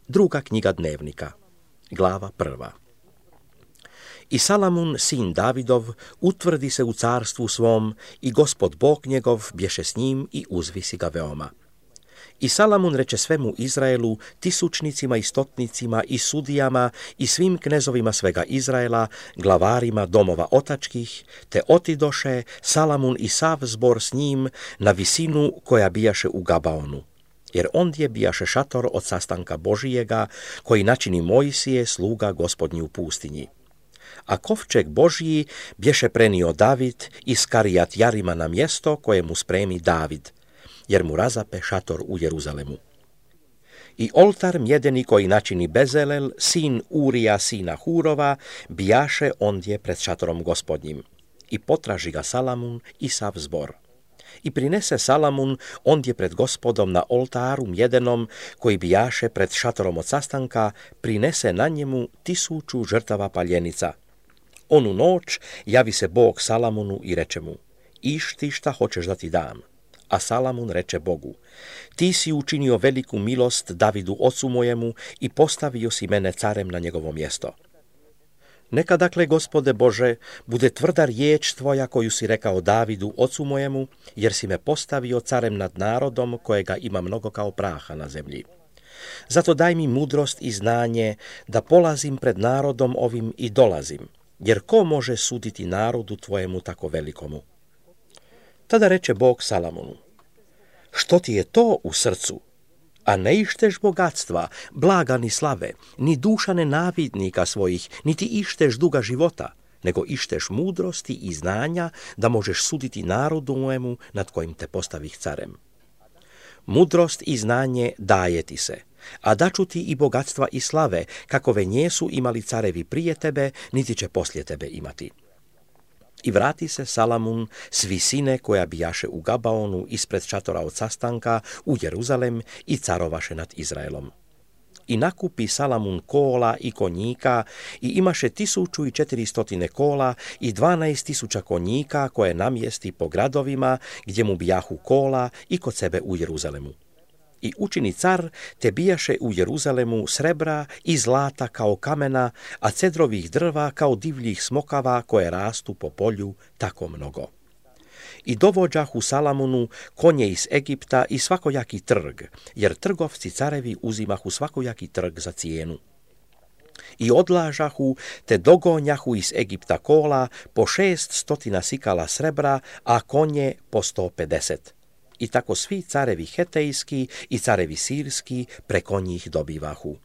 Druga knjiga Dnevnika, glava 1. I Salamun, sin Davidov, utvrdi se u carstvu svom i Gospod Bog njegov bješe s njim i uzvisi ga veoma. I Salamun reče svemu Izraelu, tisućnicima i stotnicima i sudijama i svim knezovima svega Izraela, glavarima domova otačkih, te otidoše Salamun i sav zbor s njim na visinu koja bijaše u Gabaonu. Jer ondje bijaše šator od sastanka Božijega, koji načini Mojsije, sluga Gospodnji u pustinji. A kovčeg Božji bješe prenio David iz Karijat Jarima na mjesto koje mu spremi David, jer mu razape šator u Jeruzalemu. I oltar mjedeni koji načini Bezelel, sin Urija, sina Hurova, bijaše ondje pred šatorom Gospodnjim. I potraži ga Salamun i sav zbor. I prinese Salamun ondje pred Gospodom na oltaru mjedenom koji bijaše pred šatorom od sastanka, prinese na njemu 1000 žrtava paljenica. Onu noć javi se Bog Salamunu i reče mu: Išti šta hoćeš da ti dam. A Salamun reče Bogu: Ti si učinio veliku milost Davidu ocu mojemu i postavio si mene carem na njegovo mjesto. Neka dakle, Gospode Bože, bude tvrda riječ tvoja koju si rekao Davidu ocu mojemu, jer si me postavio carem nad narodom kojega ima mnogo kao praha na zemlji. Zato daj mi mudrost i znanje da polazim pred narodom ovim i dolazim, jer ko može suditi narodu tvojemu tako velikomu? Tada reče Bog Salamunu: Što ti je to u srcu? A ne išteš bogatstva, blaga ni slave, ni duša nenavidnika svojih, niti išteš duga života, nego išteš mudrosti i znanja da možeš suditi narodu mojemu nad kojim te postavih carem. Mudrost i znanje daje ti se, a daću ti i bogatstva i slave, kakove njesu imali carevi prije tebe, niti će poslije tebe imati. I vrati se Salamun s visine koja bijaše u Gabaonu ispred šatora od sastanka u Jeruzalem i carovaše nad Izraelom. I nakupi Salamun kola i konjika i imaše 1400 kola i 12.000 konjika koje namjesti po gradovima gdje mu bijahu kola i kod sebe u Jeruzalemu. I učini car te bijaše u Jeruzalemu srebra i zlata kao kamena, a cedrovih drva kao divljih smokava koje rastu po polju tako mnogo. I dovođahu Salamunu konje iz Egipta i svakojaki trg, jer trgovci carevi uzimahu svakojaki trg za cijenu. I odlažahu te dogonjahu iz Egipta kola po 600 sikala srebra, a konje po 150. I tako svi carevi hetejski i carevi sirski preko njih dobivahu.